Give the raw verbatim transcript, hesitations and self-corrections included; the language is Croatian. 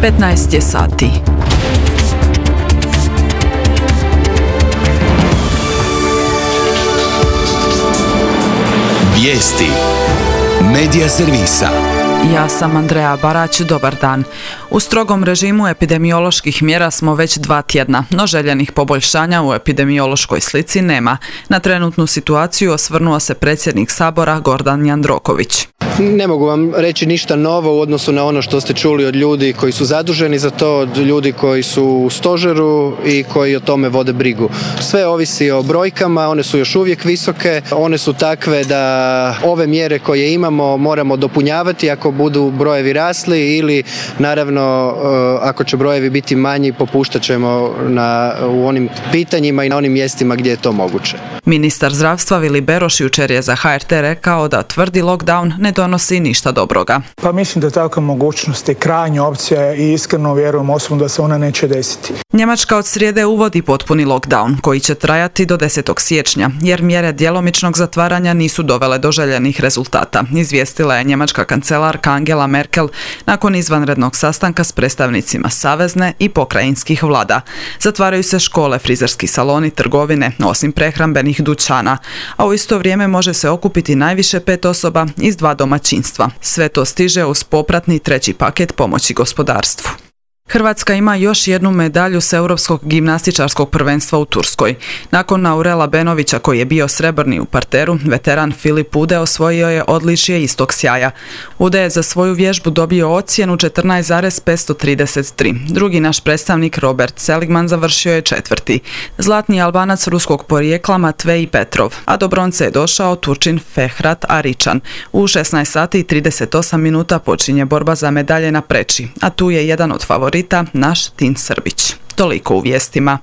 petnaest je sati. Vijesti Medija servisa. Ja sam Andreja Barać, dobar dan. U strogom režimu epidemioloških mjera smo već dva tjedna, no željenih poboljšanja u epidemiološkoj slici nema. Na trenutnu situaciju osvrnuo se predsjednik Sabora Gordan Jandroković. Ne mogu vam reći ništa novo u odnosu na ono što ste čuli od ljudi koji su zaduženi za to, od ljudi koji su u stožeru i koji o tome vode brigu. Sve ovisi o brojkama, one su još uvijek visoke, one su takve da ove mjere koje imamo moramo dopunjavati ako budu brojevi rasli ili naravno ako će brojevi biti manji popuštat ćemo na, u onim pitanjima i na onim mjestima gdje je to moguće. Ministar zdravstva Vili Beroš jučer je za H R T rekao da tvrdi lockdown ne donosi ništa dobroga. Pa mislim da takva mogućnost je krajnja opcija i iskreno vjerujem osobno da se ona neće desiti. Njemačka od srijede uvodi potpuni lockdown koji će trajati do desetog siječnja jer mjere djelomičnog zatvaranja nisu dovele do željenih rezultata, izvijestila je njemačka kancelarka Angela Merkel nakon izvanrednog sastanka s predstavnicima savezne i pokrajinskih vlada. Zatvaraju se škole, frizerski saloni, trgovine, osim prehrambenih dućana, a u isto vrijeme može se okupiti najviše pet osoba iz dva domaćinstva. Sve to stiže uz popratni treći paket pomoći gospodarstvu. Hrvatska ima još jednu medalju s Europskog gimnastičarskog prvenstva u Turskoj. Nakon Aurela Benovića koji je bio srebrni u parteru, veteran Filip Ude osvojio je odličje istog sjaja. Ude je za svoju vježbu dobio ocjenu četrnaest zarez petsto trideset tri. Drugi naš predstavnik Robert Seligman završio je četvrti. Zlatni Albanac ruskog porijekla Matvej Petrov, a do bronce je došao Turčin Fehrat Aričan. U šesnaest sati i trideset osam minuta počinje borba za medalje na preči, a tu je jedan od favorita naš Tin Srbić. Toliko u vijestima.